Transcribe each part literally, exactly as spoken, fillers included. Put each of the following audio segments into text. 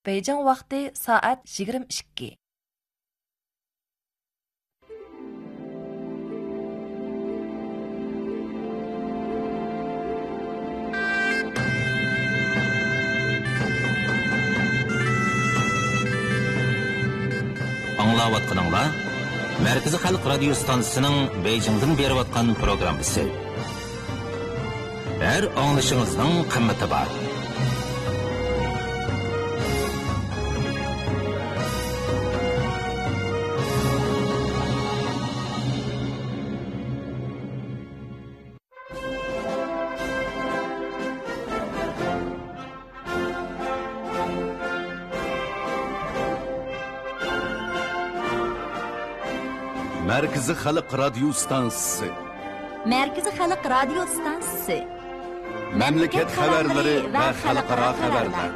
Beyjing vaqti soat yigirma ikki. Аңлаватқаныңла Мәркізі Халық радио станциясының Бейжіңден беріп программасы. Әр аңлышыңыздың қымметі бар. Merkezi Xalq Radio Stansiya. Merkezi Xalq Radio Stansiya. Memleket xabarlari va xalqaro xabarlar.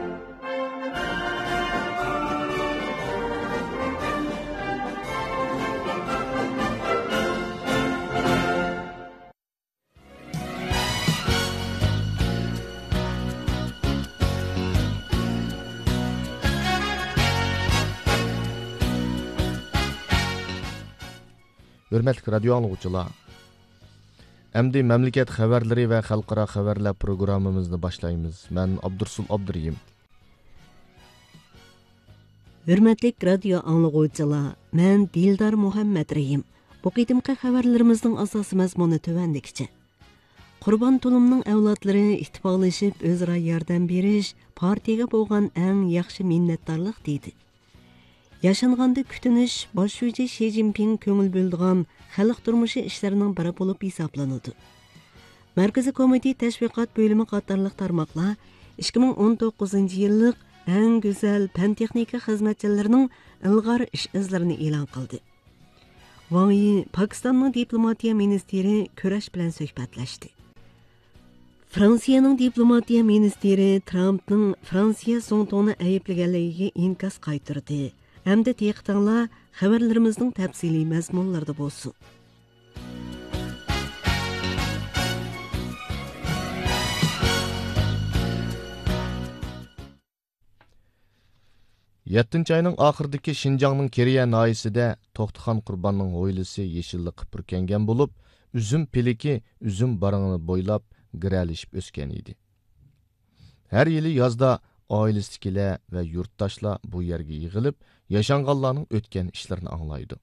Hörmətli radio anlıqçılar, əmdi məmləkət xəbərləri və xalqara xəbərlər proqramımızı başlayımız. Mən Abdursul Abduriyim. Hörmətli radio anlıqçılar, mən Dildar Muhammed Rəhim. Bu qidimqi xəbərlərimizin əsas məzmunu tövəndikçə. Qurban Tulumның əvladları ittifaqlaşıb özara yardım beriş, partiyaga bo'lgan eng yaxshi minnatdorlik deydi. Yaşanğanda kütünüş, baş şucu Şi Cinpin köngül böldüğen xalq turmuşu işlerinin biri bulup hesaplanıldı. Merkezi Komite Teşviqat bölümü qatarlıq tarmaqlar ikki ming o'n to'qqizinchi yillik eng güzel pən-texnika xizmetçilerinin ilg'or ish izlarini e'lon qildi. Wang Yi Pakistanning diplomatiya ministri kurash bilan suhbatlashdi. Fransiyaning diplomatiya ministri Trampning Fransiya so'ngto'ni ayblaganligiga inkas qaytardi. Hem de diqqətinizlər xəbərlərimizin təfsili məzmunlarda bolsun. Yettinchi ayning oxiridagi Şinjanның Keriya nahiyasida To'xtaxon Qurbonning hovlisi yeshillikqa purkangan bo'lib, uzum piliki uzum barangini bo'ylab giralishib o'sgan edi. Har yili yozda oilasidagilar va yurtdoshlar bu yerga yig'ilib, yaşanganlarning o'tgan ishlarini anglaydi.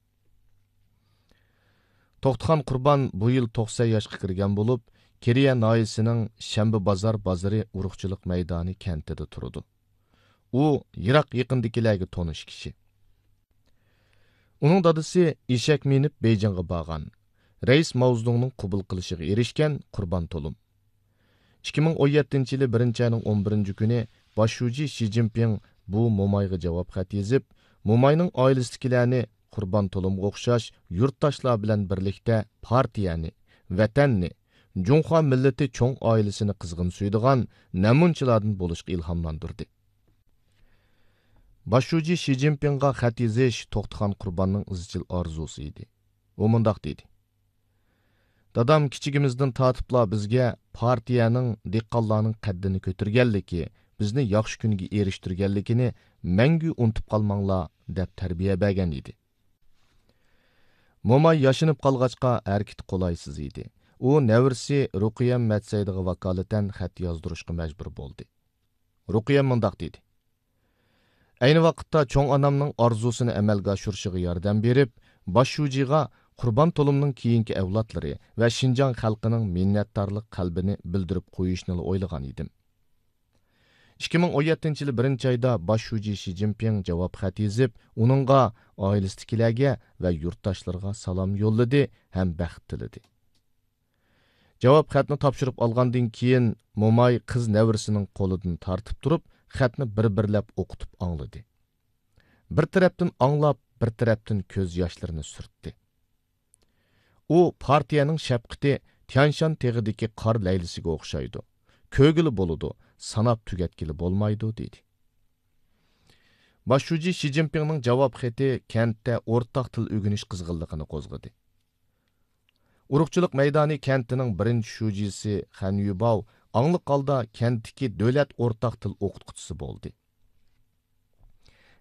To'xtaxon Qurbon bu yil to'qson yoshga kirgan bo'lib, Keriya nahiyasining Shanba bozor bozori urug'chilik maydoni kentida turadi. U yiroq yaqindagilarga tonish kishi. Uning dadasi eshak minib Beyjingga borgan. Rais Mao Zedongning qabul qilishiga erishgan Qurbon Tulum. ikki ming o'n yettinchi yili birinchi oyning o'n birinchi kuni Bosh shuji Şi Cinpin bu mo'mayga javob xat yozib, mo'mayning oilasidagilarni Qurbon Tulumga o'xshash yurtdoshlar bilan birlikda partiyani, vatanni, Junxo millati cho'ng oilasini qizg'in suydigan namunchilardan bo'lishga ilhomlantirdi. Bosh shuji Şi Cinpinga xat yozish To'xtaxon Qurbonning izchil orzusi edi. U mundoq dedi: Dadam kichigimizdan tortibla bizga partiyaning, dehqonlarning qaddini ko'targanligi, bizni yaxshi kunga erishtirganligini mangu unutib qolmanglar deb tarbiya bergan edi. Mo'may yashinib qolg'achqa harakati qolaysiz edi. U navrisi Ruqiyam Matsaydiga vakolatan xat yozdirishga majbur bo'ldi. Ruqiyam mundoq dedi: Ayni vaqtda cho'ng onamning orzusini amalga oshirishiga yordam berib, bosh shujiga Qurbon Tulumning keyingi avlodlari va Şinjan xalqining minnatdorlik qalbini bildirib qo'yishni o'ylagan edim. ikki ming o'n yettinchi yili birinchi oyda bosh shuji Şi Cinpin javob xat yozib, uningga, oilasidagilarga va yurtdoshlarga salom yo'lladi ham baxt tiladi. Javob xatni topshirib olgandan keyin mo'may qiz navrisining qo'lidan tortib turib, xatni bir-birlab o'qitib angladi. Bir tarafdan anglab, bir tarafdan ko'z yoshlarini surtdi. U partiyaning shafqati Tyanshan teg'idagi qor laylisiga o'xshaydi. Ko'gili bo'ladi, sanab tugatgili bo'lmaydi, dedi. Bosh shuji Şi Cinpinning javob xati kentda o'rtaq til o'rganish qizg'inligini qo'zg'adi. Urug'chilik maydoni kentining birinchi shujisi Xan Yubao angliq holda kentdagi davlat o'rtaq til o'qituvchisi bo'ldi.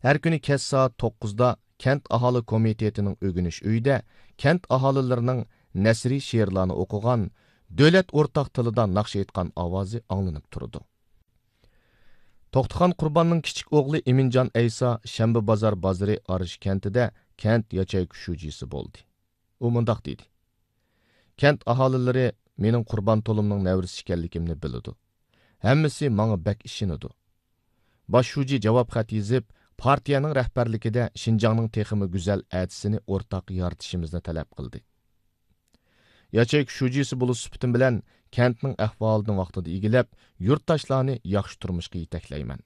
Har kuni kech soat to'qqizda kent aholi komitetining o'g'inish uyida kent aholilarining nasriy she'rlarni o'qigan, davlat o'rtaq tilida naqsh aytgan ovozi anglanib turdi. To'xtaxon Qurbonning kichik o'g'li Iminjon Ayso shanba bozor bozori Arish kentida kent yachayka shujisi bo'ldi. U mundoq dedi: Kent aholilari mening Qurbon to'limning navrisi ekanligimni biladi. Hammasi menga bak ishinadi. Bosh shuji javob xat yozib, partiyaning rahbarligida Shinjongning texmi go'zal atisini o'rtaq yaratishimizni talab qildi. Yachayka shujisi bo'lish sifatim bilan kentning ahvolini vaqtida egilab, yurtdoshlarni yaxshi turmushga yetaklayman.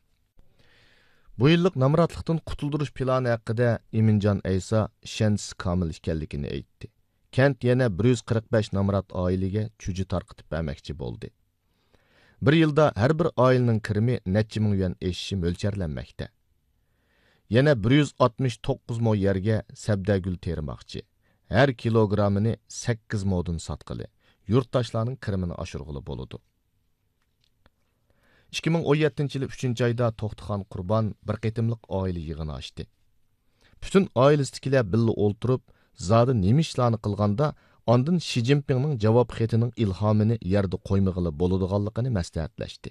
Bu yillik namratlikdan qutuldirish plani haqida Iminjon Ayso ishonchsi komil ekanligini aytdi. Kent yana bir yuz qirq besh namrat oilaga chuji tarqitib bermoqchi bo'ldi. Bir yilda har bir oilaning kirimi necha ming yuan eshishi mo'ljallanmoqda. Yana bir yuz oltmish to'qqiz mo yerga sabdagul termoqchi. Har kilogrammini sakkiz modun sotqili, yurtdoshlarning kirimini oshirg'ili bo'ladi. ikki ming o'n yettinchi yil uchinchi oyda To'xtaxon Qurbon bir qitimliq oila yig'ini ochdi. Butun oilasidagilar birga o'ltirib, zodi nima ishlarni qilganda, ondan Shi Jinpingning javob xatining ilhomini yerda qo'ymag'ili bo'ladiganligini maslahatlashdi.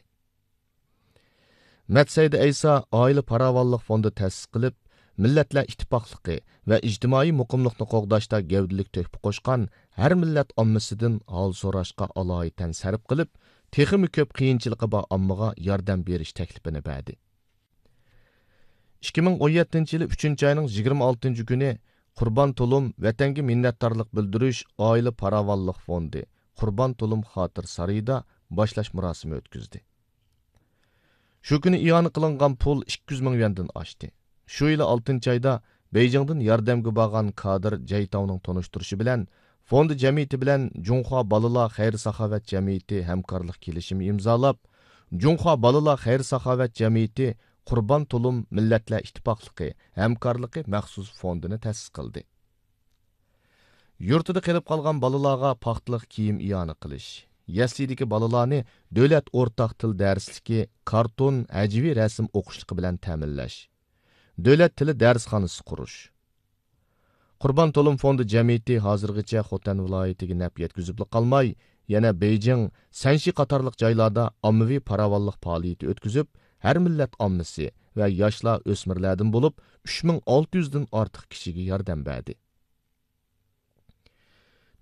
Matsayda Ayso oila farovonlik fondi ta'sis qilib, millatlar ittifoqligi va ijtimoiy muqimlikni qo'g'dashda gavdalik to'kib qo'shgan har millat ommasidan hol so'rashga aloyitan sarf qilib, texmi ko'p qiyinchiligi bor ommaga yordam berish taklifini berdi. ikki ming o'n yettinchi yil uchinchi oyning yigirma oltinchi kuni Qurbon To'lim vatanga minnatdorlik bildirish oila farovonlik fondi Qurbon To'lim xotir sarayida boshlash marosimi o'tkazdi. Shu kuni iona qilingan pul ikki yuz ming yuandan oshdi. Shu yili oltinchi oyda Beyjingdan yordamga borgan kadr Jaytovning tanishtirishi bilan fondi jamiyati bilan Junxo bolalar xayr-saxovat jamiyati hamkorlik kelishimi imzolab, Junxo bolalar xayr-saxovat jamiyati Qurbon To'lim millatlar ittifoqligi hamkorligi maxsus fondini ta'sis qildi. Yurtida qilib qolgan bolalarga paxtliq kiyim iona qilish, yaslidagi bolalarni davlat o'rtaq til darsligi, karton, hajviy rasm o'qishligi bilan ta'minlash, davlat tili darsxonasi qurish. Qurbon To'lim fondi jamiyati hozirgacha Xotan viloyatiga naf yetkazib qolmay, yana Beyjing, Sanshi qatorliq joylarda ommaviy farovonlik faoliyati o'tkazib, har millat ommasi va yoshlar o'smirlardan bo'lib uch ming olti yuzdan ortiq kishiga yordam berdi.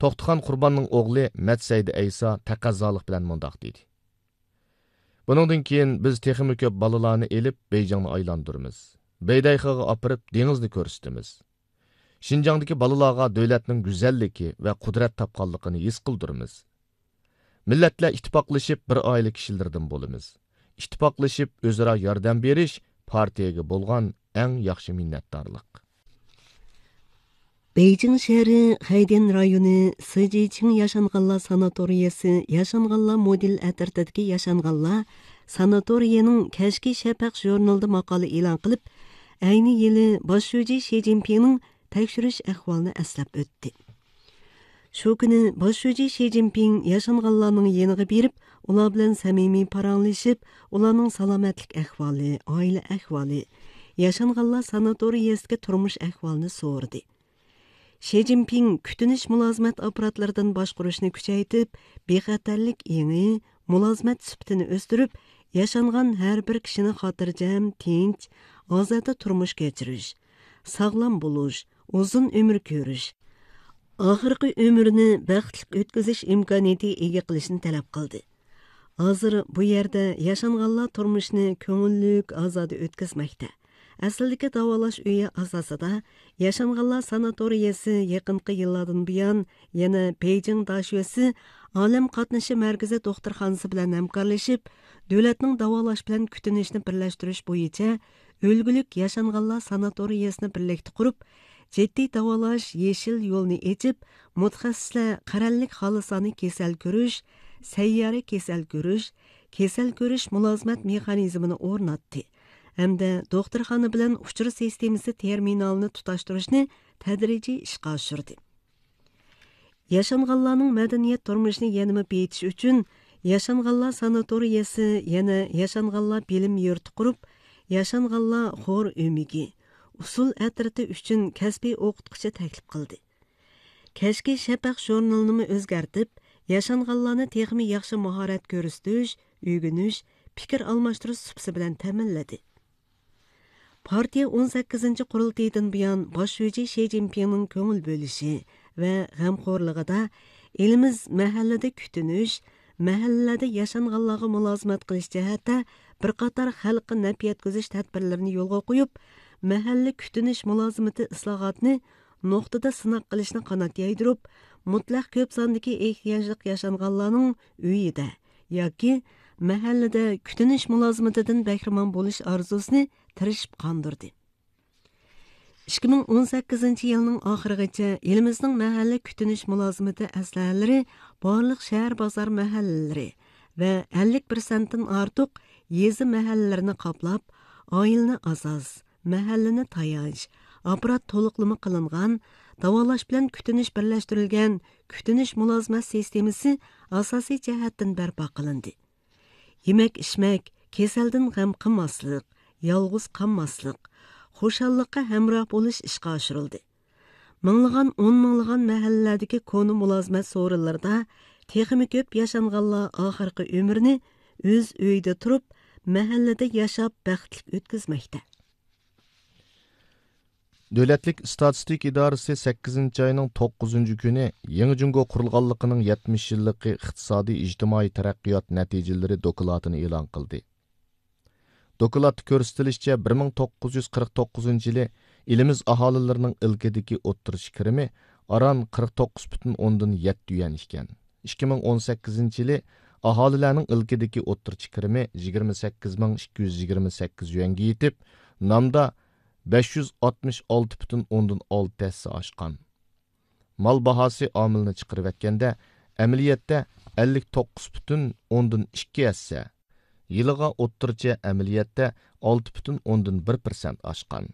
To'xtaxon Qurbonning o'g'li Matsayda Ayso taqazzolik bilan mundoq dedi: Buningdan keyin biz texmi ko'p bolalarni elib Beyjingni aylantiramiz. Beydayxaga opirib dengizni ko'rsatamiz. Shinjongdagi bolalarga davlatning go'zalligi va qudrat topganligini his qildiramiz. Millatlar ittifoqlashib bir oila kishilardan bo'lamiz. Ittifoqlashib o'zaro yordam berish partiyaga bo'lgan eng yaxshi minnatdorlik. Beyjing shahri Hayden rayoni Sijiching yashanganlar sanatoriyasi yashanganlar model atirtidagi yashanganlar sanatoriyaning Kashki Shafaq jurnalida maqola e'lon qilib, ayni yili bosh shuji Shi Jinpingning tekshirish ahvolini eslab o'tdi. Shu kuni bosh shuji Shi Jinping yashanganlarning yeniga berib, ular bilan samimiy paranglashib, ularning salomatlik ahvoli, oila ahvoli, yashanganlar sanatoriyasidagi turmush ahvolini so'radi. Shi Jinping kutinish mulozimat apparatlaridan boshqurishni kuchaytirib, bexatarlik engi, mulozimat sifatini o'stirib, yashangan har bir kishini xotirjam, tinch, ozoda turmush kechirish, sog'lom bo'lish, uzun umr ko'rish, oxirgi umrini baxtli o'tkazish imkoniyati ega qilishni talab qildi. Hozir bu yerda yashanganlar turmushni ko'ngillik, ozoda o'tkazmoqda. Aslidagi davolash uyi asosida yashanganlar sanatoriyasi yaqinqi yillardan buyon yana Beyjing Dashuasi olam qatnashi markazi doktorxonasi bilan hamkorlashib, davlatning davolash bilan kutinishni birlashtirish bo'yicha o'lgulik yashanganlar sanatoriyasini birlikda qurib, jiddiy davolash yeshil yo'lni echib, mutaxassislar qarallik xolisoni kasal ko'rish, sayyora kasal ko'rish, kasal ko'rish mulozimat mexanizmini o'rnatdi. Hamda doktorxona bilan uchur sistemasi terminalini tutashtirishni tadrijiy ishga oshirdi. Yashanganlarning madaniyat turmushini yanada beyitish uchun Yashanganlar sanatoriyasi yana Yashanganlar bilim yurti qurib, Yashanganlar xor umigi, Usul ətrati uchun kasbiy o'qitquchi taklif qildi. Kechki Shafaq jurnalini o'zgartib, yashanganlarni texmi yaxshi mahorat ko'rsatish, o'rganish, fikr almashtirish supsi bilan ta'minladi. Partiya o'n sakkizinchi qurultaydan buyon bosh shuji Shi Jinpingning ko'ngil bo'lishi va g'amxo'rligida elimiz mahallada kutinish, mahallalarda yashanganlarga mulozimat qilish jihatda bir qator xalqqa naf yetkazish tadbirlarini yo'lga qo'yib, mahalla kutinish mulozimati islohotini nuqtada sinoq qilishni qanot yaydirib, mutlaq ko'p sondagi ehtiyojli yashanganlarning uyida yoki mahallada kutinish mulozimatidan bahramon bo'lish orzusini tirishib qondirdi. ikki ming o'n sakkizinchi yilning oxirigacha elimizning mahalla kutinish mulozimati aslahalari barliq shahar bozor mahallalari va ellik persentdan ortiq yezi mahallalarini qoplab, oilani asos, mahallani tayanch, apparat to'liqlama qilingan, davolash bilan kutinish birlashtirilgan kutinish mulozimat sistemasi asosiy jihatdan barpo qilindi. Yemak ichmak, kasaldan g'am qilmaslik, yolg'iz qolmaslik, xushallikqa hamroh bo'lish ishga oshirildi. Minglagan, o'n minglagan mahallalardagi koni mulozimat so'rinlarida texmi ko'p yashanganlar oxirgi umrini o'z uyida turib, mahallada yashab baxtli o'tkazmoqda. Dövlətlik İstatistik İdarəsi sakkizinchi ayının to'qqizinchi kuni Yangi Jungo qurilganligining yetmish yillik iqtisodiy ijtimoiy taraqqiyot natijalari dokladini e'lon qildi. Dokladda ko'rsatilishicha bir ming to'qqiz yuz qirq to'qqizinchi yili elimiz aholilarining ilkidagi o'ttirish kirimi aran qirq to'qqiz butun o'ndan yetti yuan ekan. ikki ming o'n sakkizinchi yili aholilarning ilkidagi o'ttirish kirimi yigirma sakkiz ming ikki yuz yigirma sakkiz yuanga yetib, namda besh yuz oltmish olti butun o'ndan olti hassa oshgan. Mal bahosi omilini chiqarib aytganda, amaliyotda ellik to'qqiz butun o'ndan ikki hassa, yiliga o'ttircha amaliyotda olti butun o'ndan bir persent oshgan.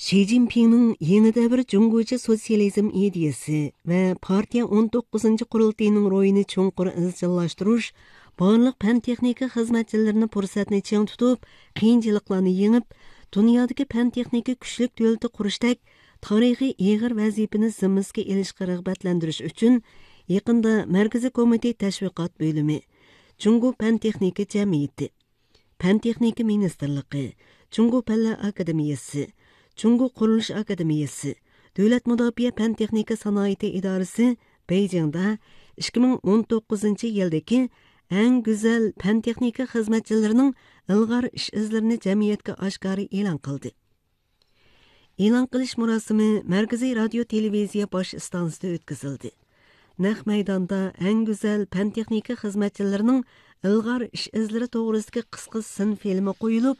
Shi Jinpingning yangi davr Jungocha sotsializm ideyasi va partiya o'n to'qqizinchi qurultayining ro'yini chuqur izchillashtirish, barliq fan texnika xizmatchilarini fursatni ching tutib, qiyinchiliklarni yengib, dunyodagi fan texnika kuchlik davlati qurishdek tarixiy ig'ir vazifani zimmasiga ilishga rag'batlantirish uchun yaqinda Markaziy Komitet tashviqot bo'limi, Jungo fan texnika jamiyati, Fan texnika ministrligi, Jungo Fanlar akademiyasi, Jungo Qurilish akademiyasi, Davlat mudofaa fan texnika sanoati idorasi Beyjingda ikki ming o'n to'qqizinchi yildagi eng go'zal fan texnika xizmatchilarining ilg'or ish izlarini jamiyatga oshkora e'lon qildi. E'lon qilish marosimi Markaziy radio televiziya bosh stansiyasida o'tkazildi. Naq maydonda eng go'zal fan texnika xizmatchilarining ilg'or ish izlari to'g'risidagi qisqa sin filmi qo'yilib,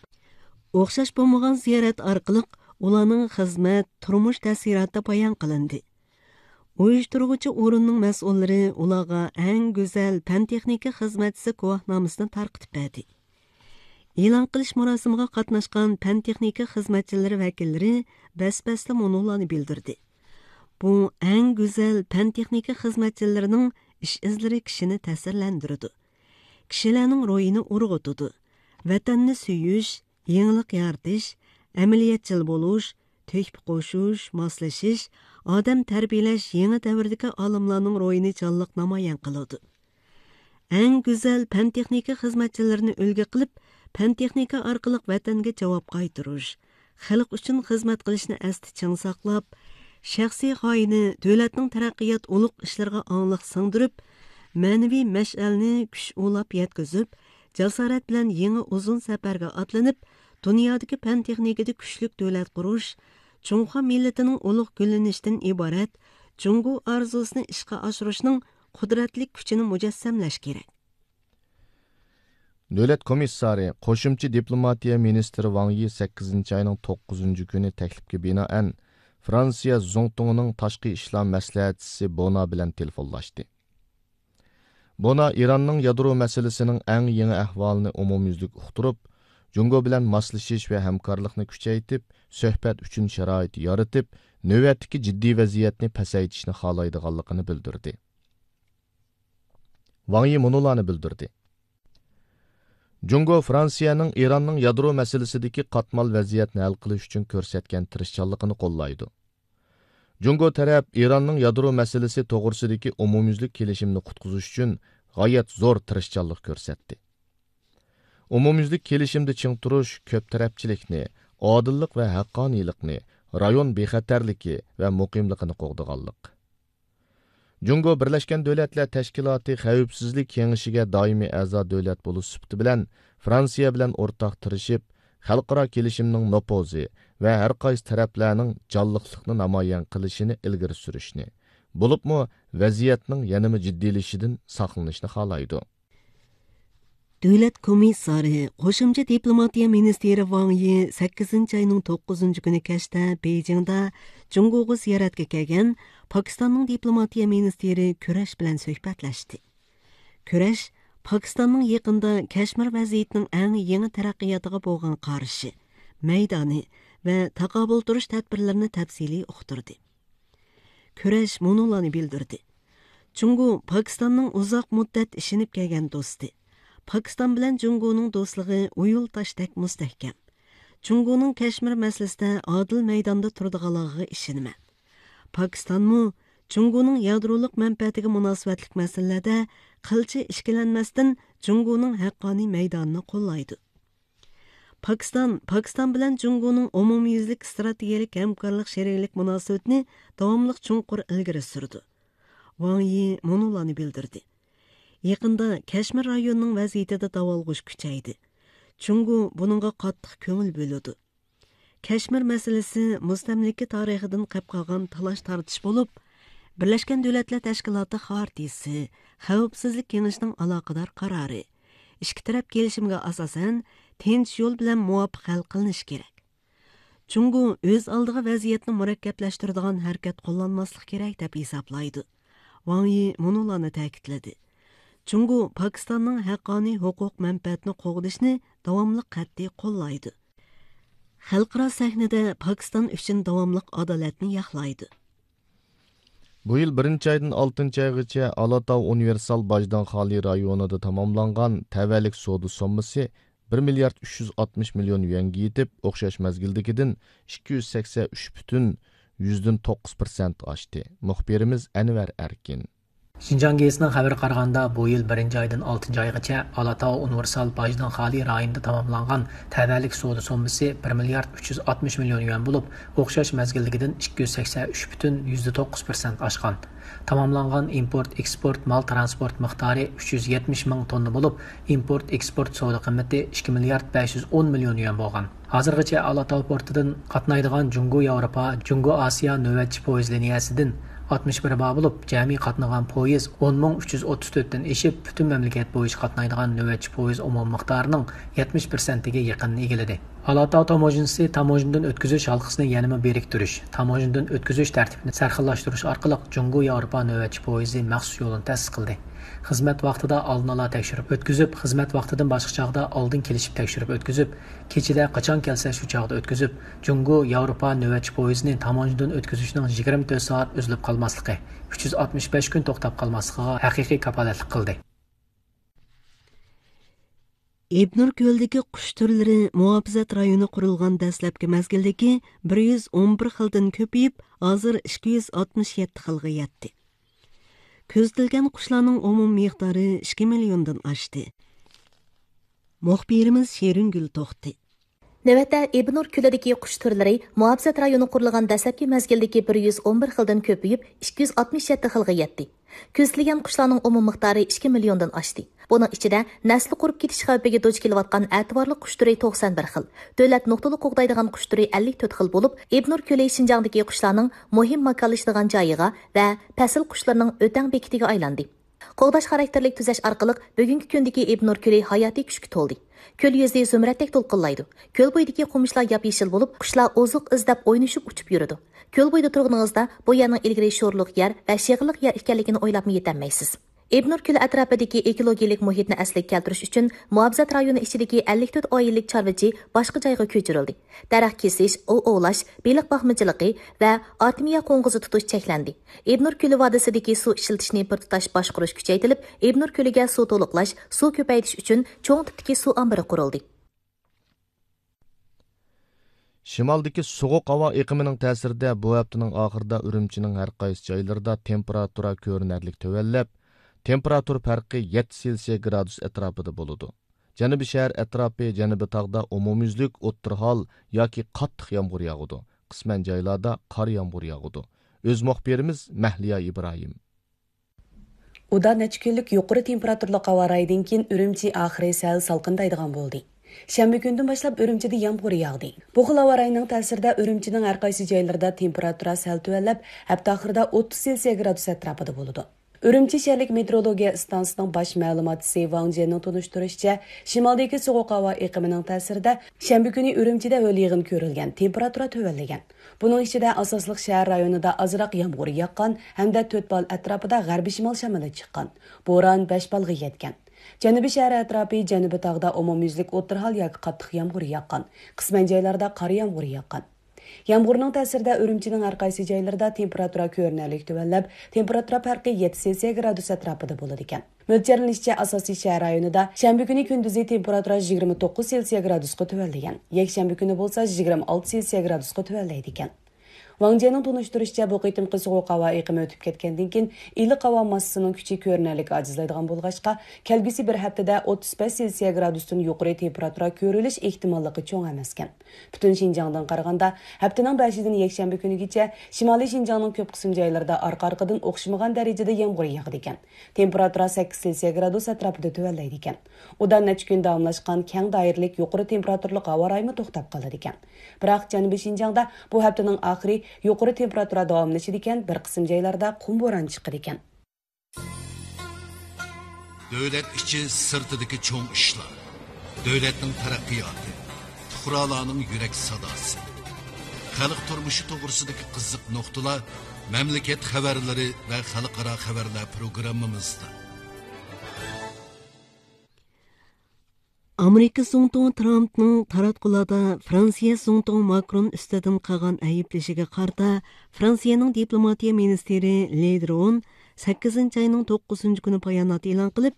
o'xshash bo'lmagan ziyorat orqali ularning xizmat, turmush ta'siroti bayon qilindi. Uyushtiruvchi o'rinning mas'ullari ularga eng go'zal fan texnika xizmatchisi guvohnomasini tarqatib berdi. E'lon qilish marosimiga qatnashgan fan texnika xizmatchilari vakillari bas-basli monolarni bildirdi. Bu eng go'zal fan texnika xizmatchilarining ish izlari kishini ta'sirlantiradi. Kishilarning ro'yini urg'otadi. Vatanni suyish, yangilik yaratish, amaliyotchil bo'lish, tuhfa qo'shish, moslashish, odam tarbiyalash yangi davrdagi olimlarning ro'yini jonliq namoyon qiladi. Eng go'zal fan texnika xizmatchilarini ulgu qilib, fan texnika orqali vatanga javob qaytarish, xalq uchun xizmat qilishni asti ching saqlab, shaxsiy g'oyani davlatning taraqqiyot ulug' ishlariga ongliq singdirib, ma'naviy mash'alni kuch ulab yetkazib, jasorat bilan yangi uzun safarga otlanib, dunyodagi fan texnikada kuchlik davlat qurish, Junxo millatining ulug' gullanishidan iborat Jungo orzusini ishga oshirishning qudratli kuchini mujassamlash kerak. Davlat komissari, qo'shimcha diplomatiya ministri Wang Yi sakkizinchi oyning to'qqizinchi kuni taklifga binoan Fransiya zongtong'ining tashqi ishlar maslahatchisi Bona bilan telefonlashdi. Bona Iranning yadro masalasining eng yangi ahvolini umumyuzlik uqtirib, Jungo bilan moslashish va hamkorlikni kuchaytirib, suhbat uchun sharoit yaratib, navbatdagi jiddiy vaziyatni pasaytirishni xohlaydiganligini bildirdi. Wang Yi munularni bildirdi. Jungo Fransiyaning Eronning yadro masalasidagi qatmal vaziyatni hal qilish uchun ko'rsatgan tirishchanligini qo'llaydi. Jungo taraf Eronning yadro masalasi to'g'risidagi umumyuzlik kelishimni qutqizish uchun g'oyat zo'r tirishchanlik ko'rsatdi. Umumyuzlik kelishimda ching turish ko'p tarafchilikni, odillik va haqqoniylikni, rayon bexatarligi va muqimligini qo'g'diganlik. Jungo Birlashgan Davlatlar Tashkiloti Xavfsizlik Kengashiga doimiy a'zo davlat bo'lish sifati bilan Fransiya bilan o'rtaq tirishib, xalqaro kelishimning nopozi va har qaysi taraflarning jonliqlikni namoyon qilishini ilgari surishni, bo'libmi vaziyatning yanada jiddiylashishidan saqlanishni xohlaydi. Davlat komissari, qo'shimcha diplomatiya ministri Wang Yi sakkizinchi oyning to'qqizinchi kuni kechda Beyjingda Jungoga ziyoratga kelgan Pokistonning diplomatiya ministri Kurash bilan suhbatlashdi. Kurash Pokistonning yaqinda Kashmir vaziyatining eng yangi taraqqiyotiga bo'lgan qarashi, maydoni va taqobil turish tadbirlarini tafsiliy uqtirdi. Kurash monolarni bildirdi. Jungo Pokistonning uzoq muddat ishinib kelgan do'sti. Pokiston bilan Jungoning do'stligi uyul toshdek mustahkam. Jungoning Kashmir masalasida odil maydonda turadiganligiga ishonaman. Pokistonmu Jungoning yadroliq manfaatiga munosabatlik masalalarda qilcha ishkilanmasdan Jungoning haqqoniy maydonini qo'llaydi. Pokiston Pokiston bilan Jungoning umumyuzlik strategik hamkorlik sheriklik munosabatini davomli chunqur ilgari surdi. Wang Yi monolarni bildirdi. Yaqinda Kashmir rayonining vaziyatida davolg'ish kuchaydi. Jungo buningga qattiq ko'ngil bo'ladi. Kashmir masalasi mustamlika tarixidan qolib qolgan talash tortish bo'lib, Birlashgan Davlatlar Tashkiloti xartiyasi, Xavfsizlik Kengashining aloqador qarori, ikki taraf kelishimiga asosan tinch yo'l bilan muvofiq hal qilinishi kerak. Jungo o'z oldiga vaziyatni murakkablashtiradigan harakat qo'llanmaslik kerak deb hisoblaydi. Wang Yi monolarni ta'kidladi. Jungo Pokistonning haqqoniy huquq manfaatini qo'g'dishni davomli qat'iy qo'llaydi. Xalqaro sahnada Pokiston uchun davomli adolatni yoqlaydi. Bu yil birinchi oydan oltinchi oygacha Alatau universal bojdan xoli rayonida tamomlangan tavallik savdo sommasi bir milliard uch yuz oltmish million yuanga yetib, o'xshash mezgildagidan ikki yuz sakson uch butun yuzdan to'qqiz persent oshdi. Muxbirimiz Anvar Erkin. Şinjan gezisining xabari qaraganda, bu yil birinchi oydan oltinchi oygacha Alatau universal bojdan xoli rayonida tamomlangan tavallik savdo sommasi bir milliard uch yuz oltmish million yuan bo'lib, o'xshash mezgilligidan ikki yuz sakson uch butun yuzda to'qqiz persent oshgan. Tamomlangan import eksport mal transport miqdori uch yuz yetmish ming tonna bo'lib, import eksport savdo qiymati ikki milliard besh yuz o'n million yuan bo'lgan. Hozirgacha Alatau portidan qatnaydigan Jungo Yevropa, Jungo Osiyo navbatchi poyezd liniyasidan oltmish bir bor bo'lib, jami qatnagan poyezd o'n ming uch yuz o'ttiz to'rtdan eshib, butun mamlakat bo'yicha qatnaydigan navbatchi poyezd umumiy miqdorining yetmish persentiga yaqinini egalladi. Alatau tamojinisi tamojindan o'tkazish halqasini yanada beriktirish, tamojindan o'tkazish tartibini sarxillashtirish orqali Jungo Yevropa navbatchi poyezdi maxsus yo'lini ta'sis qildi. Xizmat vaqtida oldin ola tekshirib o'tkazib, xizmat vaqtidan boshqa chog'da oldin kelishib tekshirib o'tkazib, kechida qachon kelsa shu chog'da o'tkazib, Jungo Yevropa navbatchi poyezdini tamojindan o'tkazishning yigirma to'rt soat uzilib qolmasligi, uch yuz oltmish besh kun to'xtab qolmasligiga haqiqiy kafolatlik qildi. Ebnur ko'ldagi qush turlari muhofazat rayoni qurilgan dastlabki mezgildagi bir yuz o'n bir xildan ko'payib, hozir ikki yuz oltmish yetti xilga yetdi. Ko'zatilgan qushlarning umumiy miqdori ikki milliondan oshdi. Muxbirimiz Sheringul To'xti. Navbatda Ebnur ko'lidagi qush turlari muhofazat rayoni qurilgan dastlabki mezgildagi bir yuz o'n bir xildan ko'payib, ikki yuz oltmish yetti xilga yetdi. Ko'zatilgan qushlarning umumiy miqdori ikki milliondan oshdi. Buning ichida nasli qurib ketish xavfiga duch kelayotgan e'tiborli qush turi to'qson bir xil, davlat nuqtali qo'g'daydigan qush turi ellik to'rt xil bo'lib, Ebnur ko'li Xinjiangdagi qushlarning muhim makonlashadigan joyiga va fasl qushlarining o'tang bekitiga aylandi. Qo'g'dash xarakterlik tuzash orqali bugungi kundagi Ebnur ko'li hayotiy kuchga to'ldi. Ko'l yuzi zumraddek to'lqinlaydi. Ko'l bo'yidagi qumishlar yap-yeshil bo'lib, qushlar oziq izlab o'ynashib uchib yuradi. Ko'l bo'yida turganingizda bu yerning ilgari sho'rliq yer va shig'illiq yer ekanligini o'ylabmi yetolmaysiz. Ebnur ko'li atrofidagi ekologiyalik muhitni asliga keltirish uchun muhofazat rayoni ichidagi ellik to'rt oilik chorvachi boshqa joyga ko'chirildi. Daraxt kesish, ov ovlash, beliq boqmachiligi va artemiya qo'ng'izi tutish cheklandi. Ebnur ko'li vodiysidagi suv ishlatishni bir tutash boshqarish kuchaytirilib, Ebnur ko'liga suv to'liqlash, suv ko'paytirish uchun cho'ng tipdagi suv ombori qurildi. Shimaldagi sovuq havo iqimining ta'sirida bu haftaning oxirida Urumchining har qaysi joylarida temperatura ko'rinarli tuvanlab, temperatura farqi yetti Selsiya gradus atrofida bo'ladi. Janubiy shahar atrofi, janubiy tog'da umumyuzlik o'ttir hol yoki qattiq yomg'ir yog'adi. Qisman joylarda qor yomg'ir yog'adi. O'z muxbirimiz Mahliya Ibrohim. Uda necha kunlik yuqori temperaturali havo royidan keyin Urumchi oxiri sal salqindaydigan bo'ldi. Shanba kundan boshlab Urumchida yomg'ir yog'di. Bu xil havo royining ta'sirida Urumchining har qaysi joylarida temperatura sal tuvanlab, hafta oxirida o'ttiz Selsiya gradus atrofida bo'ladi. Urumchi shaharlik meteorologiya stansiyasining bosh ma'lumotchisi Wang Jianning tunishtirishicha, shimaldagi sovuq havo iqimining ta'sirida shanba kuni Urumchida ho'l yig'in ko'rilgan, temperatura tuvanlagan. Buning ichida asosliq shahar rayonida ozroq yomg'ir yoqqan hamda to'rt bal atrofida g'arbiy shimol shamoli chiqqan. Bo'ron besh balga yetgan. Janubiy shahar atrofi, janubiy tog'da umumyuzlik o'rta hol yoki qattiq yomg'ir yoqqan. Qisman joylarda qor yomg'ir yoqqan. Yomg'irning ta'sirida Urumchining har qaysi joylarida temperatura ko'rinarli tuvanlab, temperatura farqi yetti Selsiya gradus atrofida bo'ladi ekan. Mo'ljallanishicha, asosiy shahar rayonida shanba kuni kunduzi temperatura yigirma to'qqiz Selsiya gradusga tuvanlagan. Yakshanba kuni bo'lsa yigirma olti Selsiya gradusga tuvanlaydi ekan. Wang Jianning tunishtirishicha, bu qitimqi sovuq havo iqimi o'tib ketgandan keyin iliq havo massasining kuchi ko'rinarli ojizlaydigan bo'lg'achqa, kelgusi bir haftada o'ttiz besh Selsiya gradusdan yuqori temperatura ko'rilish ehtimolligi cho'ng emas ekan. Butun Xinjiangdan qaraganda, haftaning beshidan yakshanba kunigacha Shimoliy Xinjiangning ko'p qism joylarida orqa-orqadan o'xshamagan darajada yomg'ir yog'adi ekan. Temperatura sakkiz Selsiya gradus atrofida tuvanlaydi ekan. Udan necha kun davomlashgan keng doiralik yuqori temperaturali havo royimi to'xtab qoladi ekan. Biroq Janubiy Xinjiangda bu haftaning oxiri yuqori temperatura davomlashadi ekan, bir qism joylarda qum bo'ron chiqadi ekan. Davlat ichi sirtidagi cho'ng ishlar, davlatning taraqqiyoti, fuqarolarning yurak sadosi, xalq turmushi to'g'risidagi qiziq nuqtalar mamlakat xabarlari va xalqaro xabarlar programmamizda. Amerika Zongtong Trumpning taratqularda Fransiya Zongtong Makron üstüden qilgan ayblashiga qarta Fransiyaning diplomatiya ministri Le Drian sakkizinchi oyning to'qqizinchi kuni bayonot e'lon qilib,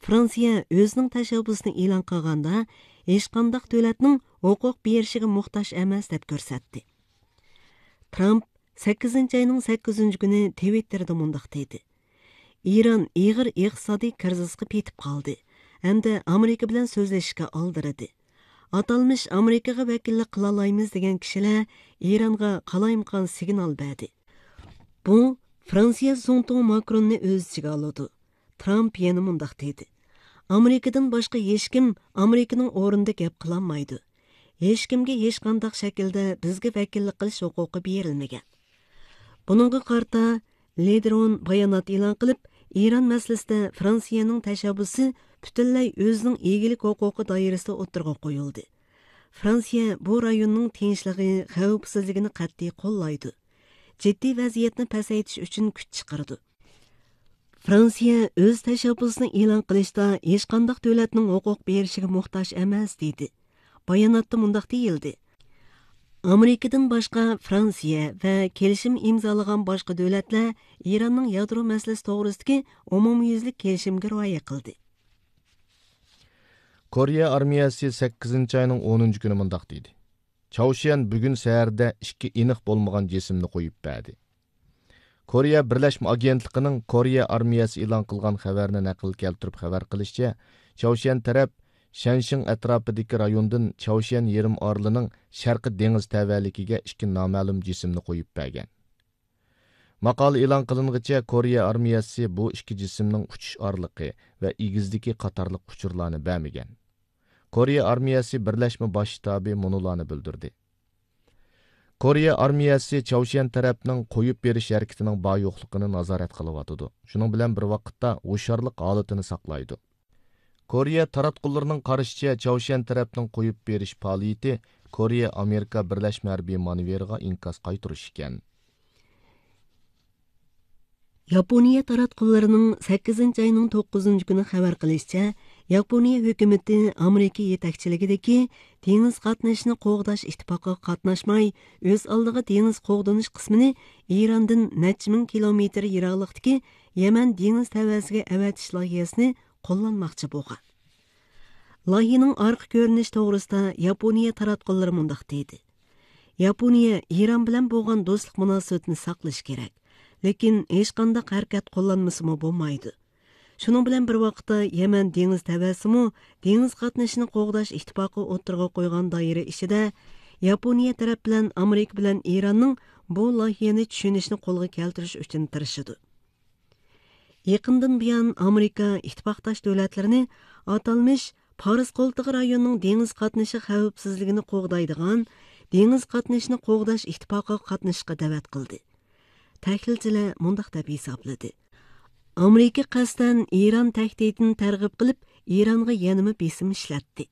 Fransiya o'zining tashabbusini e'lon qilganda hech qanday davlatning huquq berishiga muhtoj emas deb ko'rsatdi. Trump sakkizinchi oyning sakkizinchi kuni Twitterda mundoq dedi: Eron ig'ir iqtisodiy krizisga petib qoldi. Hamda Amerika bilan so'zlashishga oldiradi. Atalmish Amerikaga vakillik qila olamiz degan kishilar Eronga qalaymqon signal berdi. Bu Fransiya Zongtong Makronni o'z ichiga oladi. Trump yana mundoq dedi: Amerikadan boshqa hech kim Amerikaning o'rnida gap qilolmaydi. Hech kimga hech qanday shaklda bizga vakillik qilish huquqi berilmagan. Buningga qarta Le Drian bayonot e'lon qilib, Eron masalasida Fransiyaning tashabbusi butunlay o'zining egilik huquqi doirasida o'tirg'a qo'yildi. Fransiya bu rayonning tinchligi, xavfsizligini qat'iy qo'llaydi. Jiddiy vaziyatni pasaytirish uchun kuch chiqardi. Fransiya o'z tashabbusini e'lon qilishda hech qanday davlatning huquq berishiga muhtoj emas dedi. Bayonotda mundoq deyildi: Amerikadan boshqa Fransiya va kelishim imzolagan boshqa davlatlar Eronning yadro masalasi to'g'risidagi umumyuzlik kelishimga rioya qildi. Koreya armiyasi sakkizinchi oyning o'ninchi kuni mundoq dedi: Chaushiyan bugun saharda ikki aniq bo'lmagan jismni qo'yib berdi. Koreya Birlashma agentligining Koreya armiyasi e'lon qilgan xabarni naql keltirib xabar qilishicha, Chaushiyan taraf Shanshin atrofidagi rayondan Chaushiyan yarim orolining sharqi dengiz tavalligiga ikki noma'lum jismni qo'yib bergan. Maqola e'lon qiling'icha Koreya armiyasi bu ikki jismning uchish orliqi va egizligi qatorliq uchurlarni bermagan. Koreya armiyasi Birlashma bosh shtabi munularni bildirdi. Koreya armiyasi Chaushiyan tarafning qo'yib berish harakatining bor yo'qligini nazorat qilyotidi. Shuning bilan bir vaqtda hushyorlik holatini saqlaydi. Koreya taratqullarining qarashicha, Chaushiyan tarafning qo'yib berish faoliyati Koreya Amerika Birlashma harbiy manevriga inkas qaytarish ekan. Yaponiya taratqullarining sakkizinchi oyning to'qqizinchi kuni xabar qilishicha, Yaponiya hukumati Amerika yetakchiligidagi dengiz qatnashini qo'g'dash ittifoqiga qatnashmay, o'z oldiga dengiz qo'g'dinish qismini Erondan necha ming kilometr yiroqlikdagi Yaman dengiz tavasiga avatish loyihasini qo'llanmoqchi bo'lgan. Loyihaning orqa ko'rinishi to'g'risida Yaponiya taratqullari mundoq deydi: Yaponiya Eron bilan bo'lgan do'stlik munosabatini saqlash kerak. Lekin hech qanday harakat qo'llanmasimi bo'lmaydi. Shuning bilan bir vaqtda Yaman dengiz tavasimi dengiz qatnashini qo'g'dash ittifoqi o'tirg'a qo'ygan doira ichida Yaponiya taraf bilan Amerika bilan Eronning bu loyihani tushunishni qo'lga keltirish uchun tirishadi. Yaqindan buyon Amerika ittifoqdosh davlatlarini atalmish Paris qo'ltig'i rayonining dengiz qatnashi xavfsizligini qo'g'daydigan dengiz qatnashini qo'g'dash ittifoqiga qatnashishga da'vat qildi. Tahlilchilar mundaq deb hisobladi: Amerika qasddan Eron tahdidini targ'ib qilib, Eronga yanama besim ishlatdi.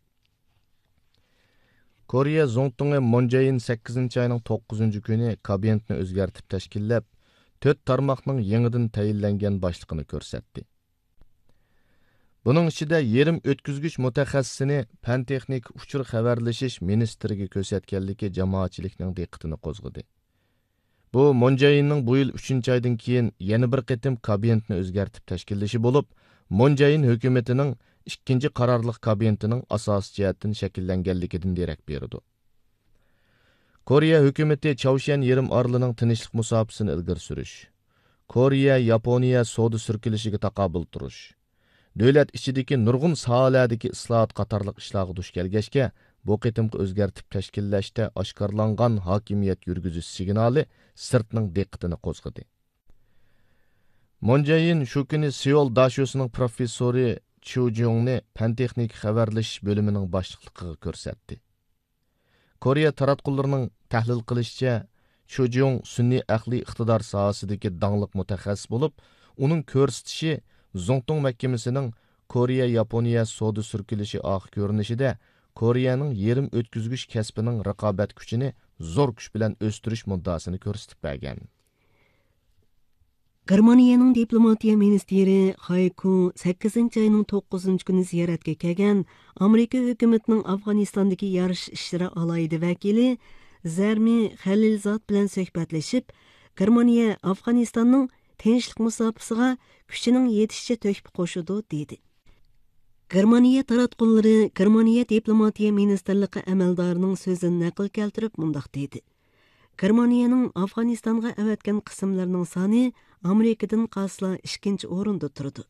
Koreya Zongtong'i Moon Jae-in sakkizinchi oyning to'qqizinchi kuni kabinetni o'zgartib tashkillab, to'rt tarmoqning yangidan tayinlangan boshlig'ini ko'rsatdi. Buning ichida yerim o'tkazgich mutaxassisini fan texnik uchur xabarlashish ministriga ko'rsatganligi jamoatchilikning diqqatini qo'zg'adi. Bu Moon Jae-inning bu yil uchinchi oydan keyin yana bir qitim kabinetni o'zgartib tashkillashi bo'lib, Moon Jae-in hukumatining ikkinchi qarorliq kabinetining asosiy jihatdan shakllanganligidan darak berdi. Koreya hukumati Chavshan yarim orolining tinchlik musofasini ilgari surish, Koreya Yaponiya savdo sirkilishiga taqobil turish, davlat ichidagi nurg'un sohalardagi islohot qatorliq ishlarga duch kelgachga, bu qitimqi o'zgartib tashkillashda oshkorlangan hokimiyat yurgizish signali sirtning diqqatini qo'zg'adi. Moon Jae-in shu kuni Seul Dashusining professori Chu Jungni fan texnik xabarlashish bo'limining boshliqligiga ko'rsatdi. Koreya taratqullarining tahlil qilishicha, Chu Jung sun'iy aqliy iqtidor sohasidagi dangliq mutaxassis bo'lib, uning ko'rsatishi Zongtong mahkamasining Koreya Yaponiya savdo sirkilishi oq ko'rinishida Koreyaning yerim o'tkazgich kasbining raqobat kuchini zo'r kuch bilan o'stirish muddaosini ko'rsatib bergan. Germaniyaning diplomatiya ministri Hayko sakkizinchi oyning to'qqizinchi kuni ziyoratga kelgan Amerika hukumatining Afg'onistondagi yarish ishlari alohida vakili Zarmi Xalilzod bilan suhbatlashib, Germaniya Afg'onistonning tinchlik musofasiga kuchining yetishicha to'kib qo'shadi dedi. Germaniya taratqullari Germaniya diplomatiya ministrligi amaldorining so'zini naql keltirib mundoq dedi: Germaniyaning Afg'onistonga avatgan qismlarining soni Amerikadan qolsa ikkinchi o'rinda turdi.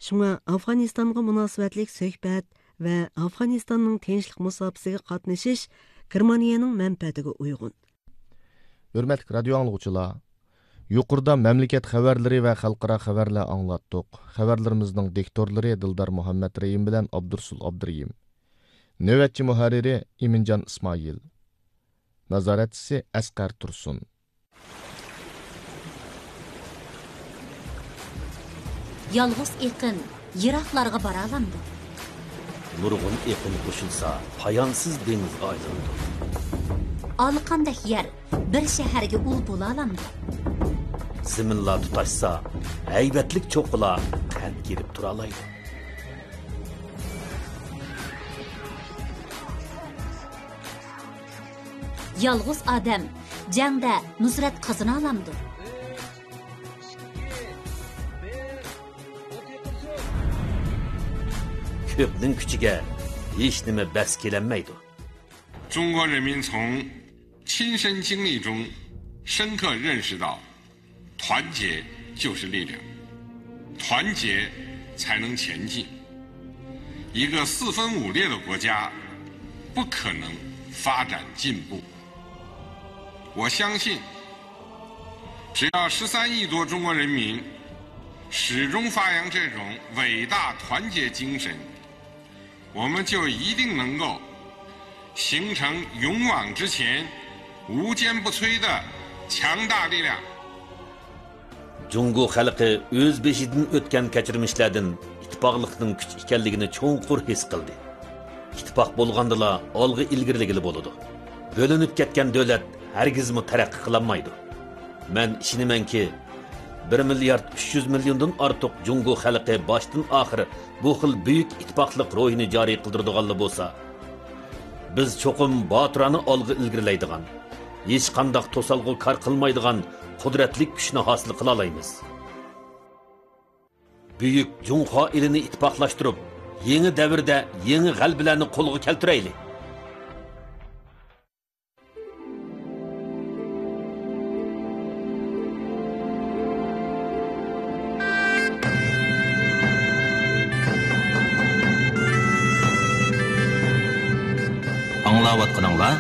Shunga Afg'onistonga munosabatlik suhbat va Afg'onistonning tinchlik musofasiga qatnashish Germaniyaning manfaatiga uyg'un. Hurmatli radio anglovchilar, yuqorida mamlakat xabarlari va xalqaro xabarlar anglatdik. Xabarlarimizning diktorlari Dildar Muhammad Reyim bilan Abdursul Abduriyim. Navbatchi muharriri Iminjon Ismoil. Nazoratchisi Asqar Tursun. Yolg'iz eqin yiroqlarga bora olamdi. Nurg'un eqin qo'shilsa, poyonsiz dengizga aylanadi. Olqandek yer bir shaharga ul bo'la olamdi. Ziminlar tutashsa, haybatlik cho'qqilar qad kelib tura oladi. Yolg'iz odam jangda nusrat qozona olamdi. Ko'pning kuchiga hech nima bas kelanmaydi. 中国人民从亲身经历中深刻认识到，团结就是力量，团结才能前进。一个四分五裂的国家不可能发展进步。我相信，只要十三亿多中国人民始终发扬这种伟大团结精神，我们就一定能够形成勇往直前、无坚不摧的强大力量。 Jungo xalqi o'z beshidan o'tgan kechirmishlardan ittifoqlikning kuch ekanligini cho'nqur his qildi. Ittifoq bo'lgandila olg'a ilgirligili bo'ladi. Bo'linib ketgan davlat hargizmi taraqqiy qilolmaydi. Men ishonamanki, bir milliard uch yuz milliondan ortiq Jungo xalqi boshdan oxir bu xil buyuk ittifoqlik ruhini joriy qildiradiganlar bo'lsa, biz cho'qim botirona olg'a ilgarilaydigan, hech qanday to'salg'u kor qilmaydigan qudratli kuchni hosil qila olamiz. Buyuk Junxo elini ittifoqlashtirib, yangi davrda yangi g'albalarni qo'lga keltiraylik. Anglayotganinglar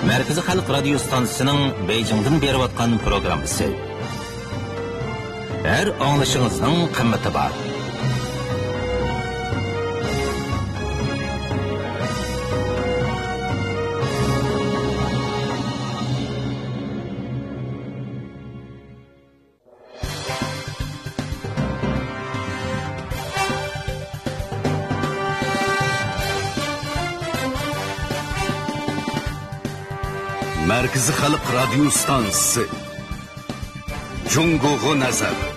Markaziy Xalq radio stansiyasining Beyjingdan berayotgan programmasi. Har anglashingizning qimmati bor. Markaziy Xalq radio stansiyasi. Jungoga nazar.